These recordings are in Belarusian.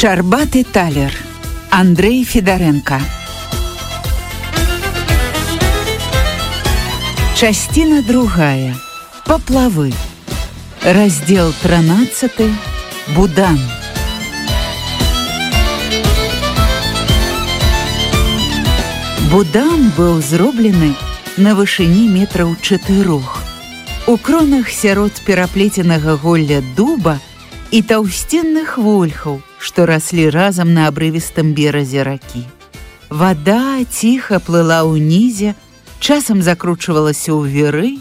Шчарбаты талер. Андрей Федаренко. Частина другая. Поплавы. Раздел 13. Будан. Будан быў зроблены на вышыні метраў 4. У кронах сярод пераплеценага голля дуба і таўсценных вольхаў, што раслі разам на абрывістым беразе ракі. Вада ціха плыла ўнізе, часам закручвалася ў віры,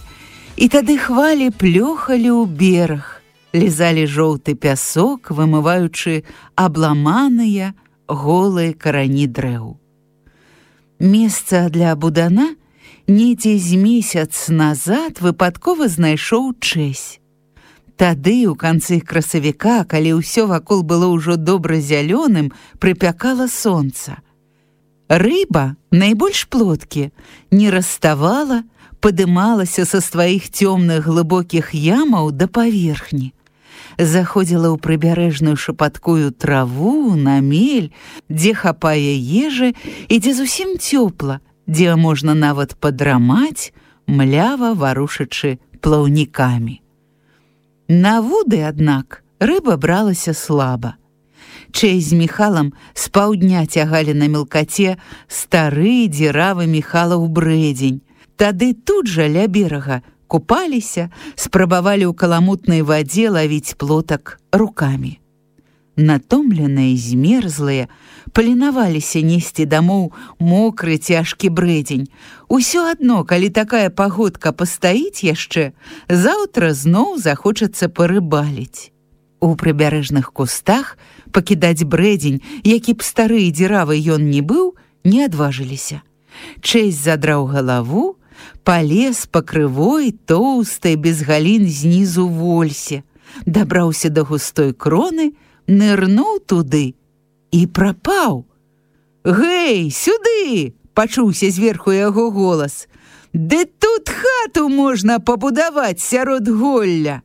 і тады хвалі плёхалі ў бераг, лізалі жоўты пясок, вымываючы абламаныя голыя карані дрэў. Месца для будана недзе з месяц назад выпадкова знайшоў Чэсь. Тады, у канцы красавіка, калі ўсё вакол было ўжо добра зялёным, прыпякала сонца. Рыба, найбольш плоткі, не раставала, падымалася са сваіх цёмных глыбокіх ямаў да паверхні. Заходзіла ў прыбярэжную шапаткую траву, на мель, дзе хапае ежы і дзе зусім цёпла, дзе можна нават падрамаць, млява варушачы плаўнікамі. На вуды, аднак, рыба бралася слаба. Чэсь з Міхалам з паўдня цягалі на мелкаце стары дзіравы Міхалаў брэдзень. Тады тут жа ля берага купаліся, спрабавалі ў каламутнай вадзе лавіць плотак рукамі. Натомленыя, змерзлыя, паленаваліся несці дамоў мокры цяжкі брэдзень. Усё адно, калі такая пагодка пастаіць яшчэ, заўтра зноў захочацца парыбаліць. У прыбярэжных кустах пакідаць брэдзень, які б стары і дзіравы ён не быў, не адважыліся. Чэсь задраў галаву, палез па крывой, тоўстай, без галін знізу вольсе, дабраўся да густой кроны, нырнуў туды і прапаў. «Гэй, сюды!» – пачуўся зверху яго голас. «Ды тут хату можна пабудаваць сярод голля!»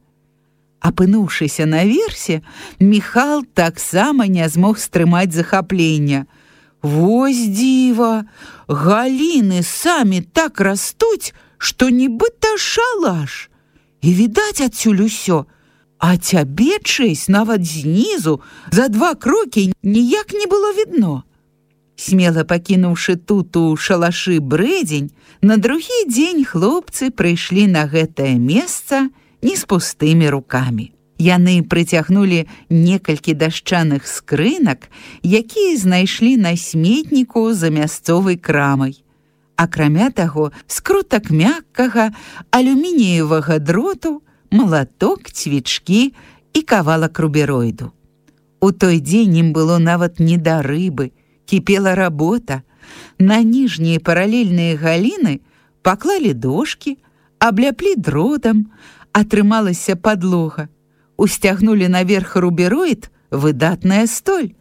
Апынуўшыся наверсе, Міхал таксама не змог стрымаць захаплення. «Вось дзіва! Галіны самі так растуць, што нібыта шалаш! І відаць адсюль усё! А цябе, Чэсь, нават знізу, за 2 крокі ніяк не было відно». Смела пакінуўшы тут у шалашы брэдзень, на другі дзень хлопцы прыйшлі на гэтае месца не з пустымі рукамі. Яны прыцягнулі некалькі дашчаных скрынак, якія знайшлі на сметніку за мясцовай крамай. Акрамя таго, скрутак мяккага алюмініевага дроту, малаток, цвічкі і кавалак рубероіду. У той дзень ім было нават не да рыбы, кіпела работа. На ніжнія паралельныя галіны паклалі дошкі, абляплі дротам, атрымалася падлога. Усцягнулі наверх рубероід, выдатная столь.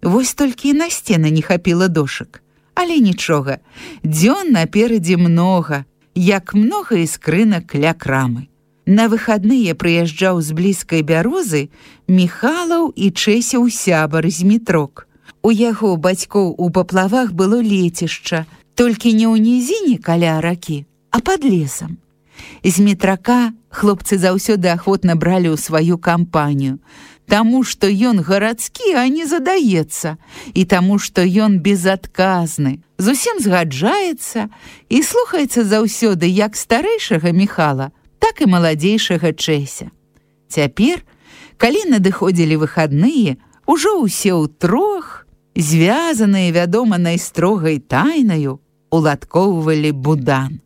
Вось толькі і на сцены не хапіла дошак. Але нічога, дзён наперадзе многа, як многа і скрынак ля крамы. На выхадныя прыязджаў з блізкай бярозы Міхалаў і Чэсяў сябар Змітрок. У яго бацькоў у паплавах было лецішча, толькі не ў нізіне каля ракі, а пад лесам. Змітрака хлопцы заўсёды ахвотна бралі ў сваю кампанію, таму што ён гарадскі, а не задаецца, і таму што ён безадказны, зусім згаджаецца і слухаецца заўсёды як старэйшага Міхала, так і маладзейшага Чэся. Цяпер, калі надыходзілі выхадныя, ужо ўсе ўтрох, звязаныя, вядома, найстрогай тайнаю, уладкоўвалі будан.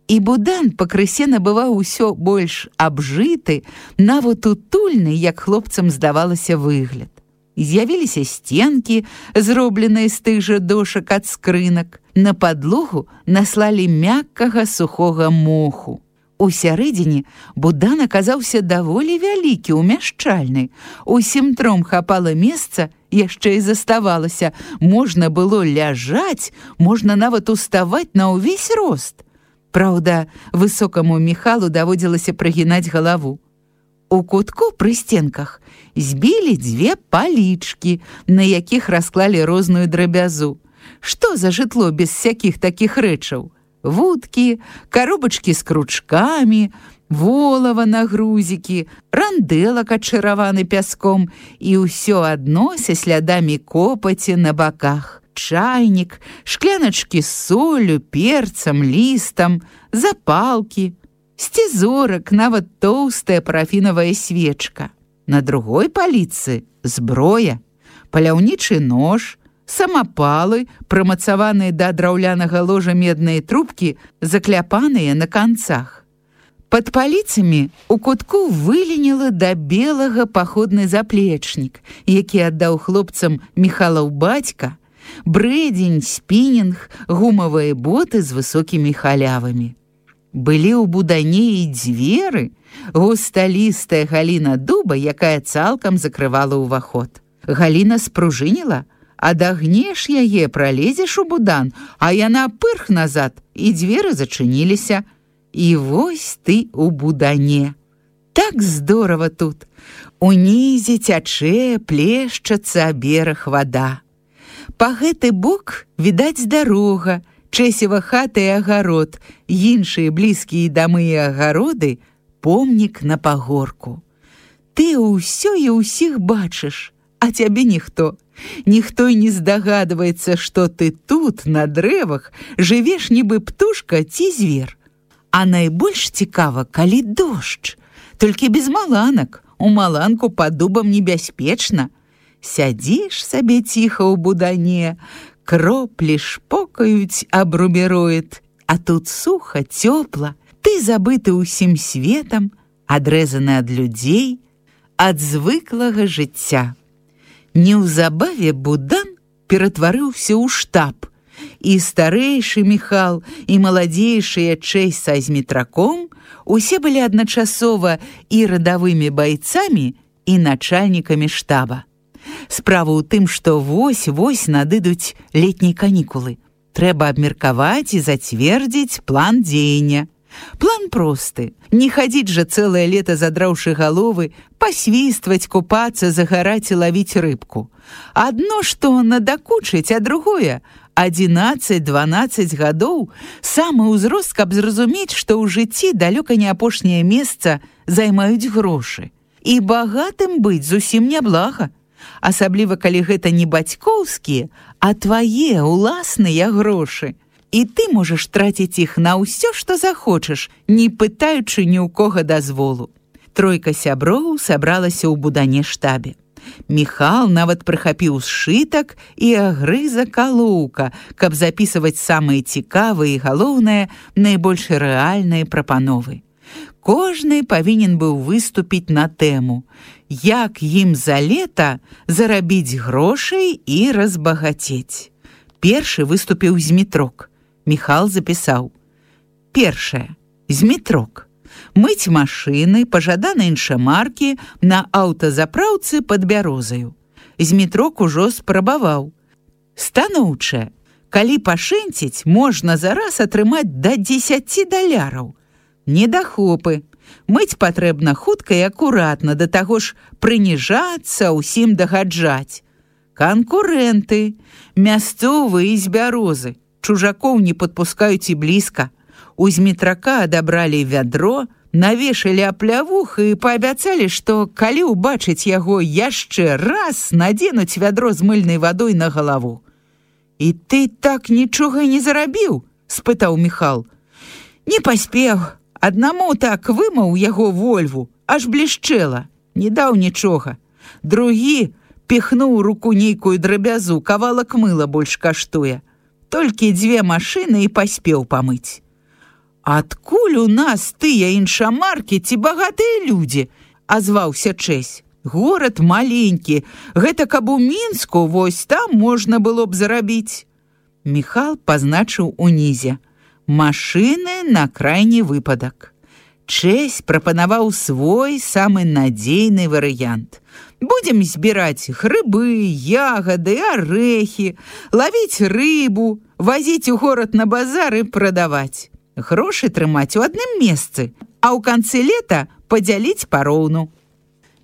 І будан пакрысе набываў усё больш абжыты, нават утульны, як хлопцам здавалася, выгляд. З'явіліся сценкі, зробленыя з тых жа дошак ад скрынак. На падлогу наслалі мяккага сухога моху. У сярэдзіне будан аказаўся даволі вялікі, умяшчальны. Усім тром хапала месца, яшчэ і заставалася. Можна было ляжаць, можна нават уставаць на ўвесь рост. Праўда, высокаму Міхалу даводзілася прыгінаць галаву. У кутку пры стенках збілі 2 палічкі, на якіх расклалі розную драбязу. Што за жытло без всякіх такіх рэчаў? Вудкі, коробачкі з кручкамі, волава на грузікі, рандэлак адчараваны пяском і ўсё адно са слядамі копаці на баках. Чайнік, шкляначкі з соллю, перцам, лістам, запалкі, сцізорак, нават тоўстая парафінавая свечка. На другой паліцы зброя, паляўнічы нож, самапалы, прымацаваныя да драўлянага ложа медныя трубкі, закляпаныя на канцах. Пад паліцамі у кутку выленіла да белага паходны заплечнік, які аддаў хлопцам Міхалаў бацька, брэдзень, спінінг, гумавыя боты з высокімі халявамі. Былі ў будане і дзверы, густалістая галіна дуба, якая цалкам закрывала ўваход. Галіна спружыніла, адагнеш яе, пралезеш у будан, а яна пырх назад, і дзверы зачыніліся. І вось ты у будане. Так здорава тут. Унізе цячэ, плешчацца бераг вада. Па гэты бок відаць дарога, чэсева хата і агарод, іншыя блізкія дамы і агароды, помнік на пагорку. Ты ўсё і ўсіх бачыш, а цябе ніхто. Ніхто і не здагадваецца, што ты тут, на дрэвах, жывеш нібы птушка ці звер. А найбольш цікава, калі дождж, толькі без маланак. У маланку пад дубам небяспечна. Сядзіш сабе ціха ў будане, кроплі шпокаюць аб рубероід, а тут суха, цёпла, ты забыты ўсім светам, адрэзаны ад людзей, ад звыклага жыцця. Неўзабаве будан ператварыўся ў штаб, і старэйшы Міхал, і маладзейшыя Чэсь са змітраком усе былі адначасова і радавымі байцамі, і начальнікамі штаба. Справа ў тым, што вось-вось надыдуць летнія канікулы. Трэба абмеркаваць і зацвердзіць план дзеяння. План просты. Не хадзіць жа цэлае лета, задраўшы галовы, пасвістваць, купацца, загараць і лавіць рыбку. Адно што надакучыць, а другое — 11-12 гадоў самы ўзрост, каб зразумець, што ў жыцці далёка не апошняе месца займаюць грошы. І багатым быць зусім няблага. Асабліва, калі гэта не бацькоўскія, а твае ўласныя грошы. І ты можаш траціць іх на ўсё, што захочаш, не пытаючы ні ў кога дазволу. Тройка сяброў сабралася ў будане штабе. Міхал нават прыхапіў сшытак і агрызак алоўка, каб запісваць самыя цікавыя і, галоўнае, найбольш рэальныя прапановы. Кожны павінен быў выступіць на тэму, як ім за лета зарабіць грошай і разбагацець. Першы выступіў Змітрок. Міхал запісаў. Першае. Змітрок. Мыць машыны пажаданай іншамаркі на аўтазапраўцы пад Бярозаю. Змітрок ужо спрабаваў. Станоўчае. Калі пашэнціць, можна зараз атрымаць да 10 даляраў. Недахопы. Мыць патрэбна хутка і акуратна, да таго ж прыніжацца, усім дагаджаць. Канкурэнты. Мясцовыя з Бярозы. Чужакоў не падпускаюць і блізка. У Змітрака адабралі вядро, навешалі аплявух і паабяцалі, што калі ўбачыць яго яшчэ раз, надзенуць вядро з мыльнай вадой на галаву. «І ты так нічога і не зарабіў?» – спытаў Міхал. «Не паспеў. Аднаму так вымаў яго вольву, аж блішчэла. Не даў нічога. Другі піхнуў руку нейкую драбязу, кавалак мыла больш каштуе. Толькі 2 машыны і паспеў памыць». «Адкуль у нас тыя іншамаркі ці багатыя людзі?» – азваўся Чэсь. «Горад маленькі. Гэта каб у Мінску, вось там можна было б зарабіць». Міхал пазначыў унізе. Машыны на крайні выпадак. Чэсь прапанаваў свой самы надзейны варыянт. Будзем збіраць грыбы, ягады, арэхі, лавіць рыбу, вазіць у горад на базар і прадаваць. Грошы трымаць у адным месцы, а ў канцы лета падзяліць пароўну.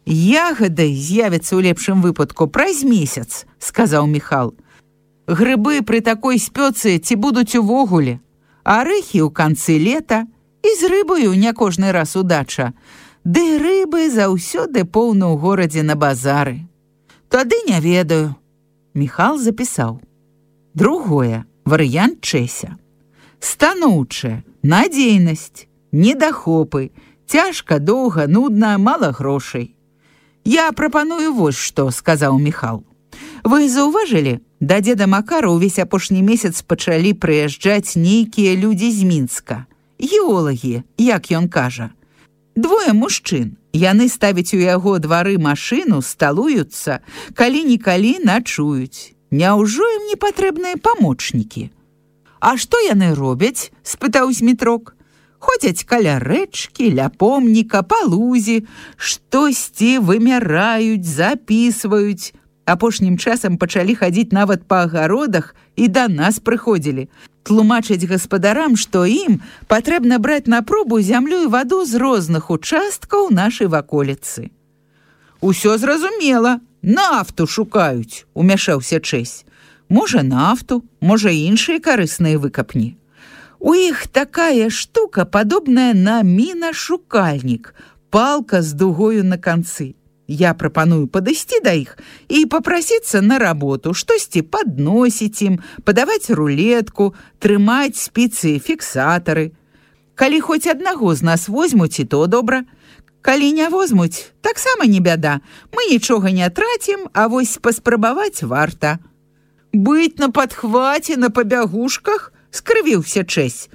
Ягады з'явяцца ў лепшым выпадку праз месяц, сказаў Міхал. Грыбы пры такой спёцы ці будуць увогуле, арэхі ў канцы лета, і з рыбаю не кожны раз удача. Ды рыбы заўсёды поўна ў горадзе на базары. Тады не ведаю. Міхал запісаў. Другое, варыянт Чэся. Станоўчая, надзейнасць, недахопы, цяжка, доўга, нудна, мала грошай. Я прапаную вось што, сказаў Міхал. Вы заўважылі, да дзеда Макара ўвесь апошні месяц пачалі прыязджаць нейкія людзі з Мінска. Геолагі, як ён кажа. Двое мужчын. Яны ставяць у яго двары машыну, сталуюцца, калі-нікалі начуюць. Няўжо ім не патрэбныя памочнікі? А што яны робяць? Спытаў Змітрок. Ходзяць каля рэчкі, ля помніка, па лузе, штосьці вымяраюць, запісваюць. Апошнім часам пачалі хадзіць нават па агародах і да нас прыходзілі. Тлумачаць гаспадарам, што ім патрэбна браць на пробу зямлю і ваду з розных участкаў нашай ваколіцы. Усё зразумела, нафту шукаюць, умяшаўся Чэсь. Можа, нафту, можа, іншыя карысныя выкапні. У іх такая штука, падобная на мінашукальнік, палка з дугою на канцы. Я прапаную падысці да іх і папрасіцца на работу, штосьці падносіць ім, падаваць рулетку, трымаць спіцы, фіксатары. Калі хоць аднаго з нас возьмуць, і то добра. Калі не возьмуць, таксама не бяда. Мы нічога не трацім, а вось паспрабаваць варта. Быць на падхваце, на пабягушках? Скрывіўся Чэсь.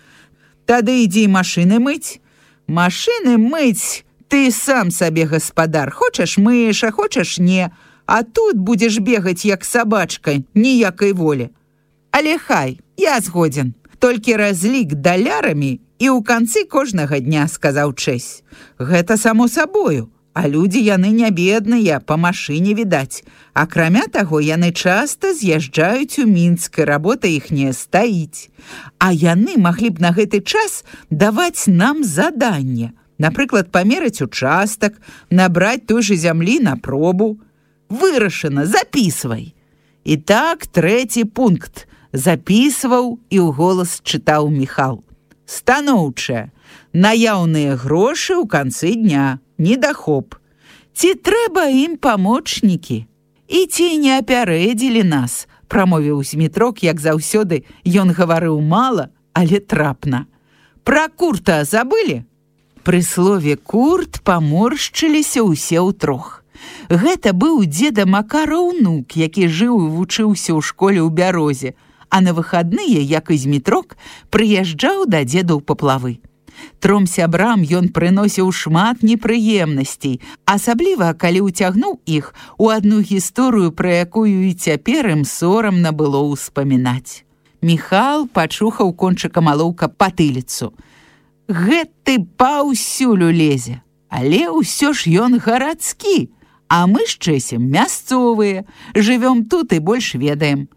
Тады ідзі машыны мыць. Машыны мыць, ты сам сабе гаспадар. Хочаш мыеш, а хочаш не. А тут будзеш бегаць, як сабачка, ніякай волі. Але хай, я згодзін. Толькі разлік далярамі і ў канцы кожнага дня, сказаў Чэсь. Гэта само сабою. А людзі яны не бедныя, па машыне відаць. Акрамя таго, яны часта з'язджаюць у Мінск, і работа іхняя стаіць. А яны маглі б на гэты час даваць нам заданне. Напрыклад, памераць участак, набраць той жа зямлі на пробу. Вырашана, запісвай. І так, трэці пункт. Запісваў і ў голас чытаў Міхал. Станоўчая. Наяўныя грошы ў канцы дня. Недахоп. Ці трэба ім памочнікі? І ці не апярэдзілі нас, прамовіў Змітрок, як заўсёды, ён гаварыў мала, але трапна. Пра курта забылі? Пры слове «курт» паморшчыліся ўсе ўтрох. Гэта быў дзеда Макара ўнук, які жыў і вучыўся ў школе ў Бярозе, а на выхадныя, як і Змітрок, прыязджаў да дзеда ў паплавы. Тром сябрам ён прыносіў шмат непрыемнасцей, асабліва, калі ўцягнуў іх у адну гісторыю, пра якую і цяпер ім сорамна было ўспамінаць. Міхал пачухаў кончыкам алоўка патыліцу. Гэты паўсюль улезе, але ўсё ж ён гарадскі, а мы з Чэсем мясцовыя, жывём тут і больш ведаем.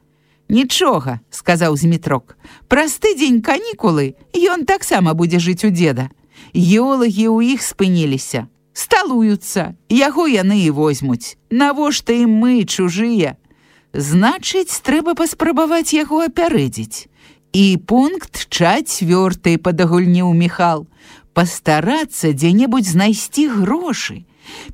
Нічога, сказаў Змітрок. Праз тыдзень канікулы ён таксама будзе жыць у дзеда. Геолагі ў іх спыніліся. Сталуюцца, яго яны і возьмуць. Навошта ім мы, чужыя? Значыць, трэба паспрабаваць яго апярэдзіць. І пункт 4 падагульніў Міхал. Пастарацца дзе-небудзь знайсці грошы.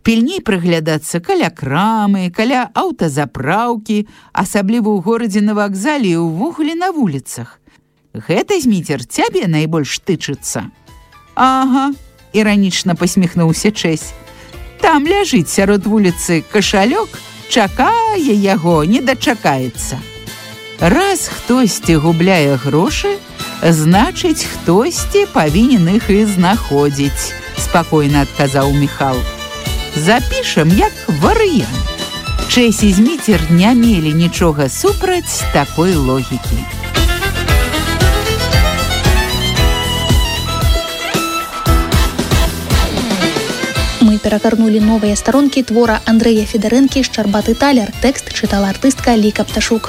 Пільней прыглядацца каля крамы, каля аўтазапраўкі, асабліва ў горадзе на вакзале і ўвогуле на вуліцах. Гэта, Зміцер, цябе найбольш тычыцца. Ага, іранічна пасміхнуўся Чэсь. Там ляжыць сярод вуліцы кашалёк, чакае яго, не дачакаецца. Раз хтосьці губляе грошы, значыць, хтосьці павінен іх і знаходзіць, спакойна адказаў Міхал. Запішам як варыянт. Чэсь і Зміцер не мелі нічога супраць такой логікі. Мы перагарнулі новыя старонкі твора Андрэя Федарэнкі «Шчарбаты талер». Тэкст чытала артыстка Ліка Пташук.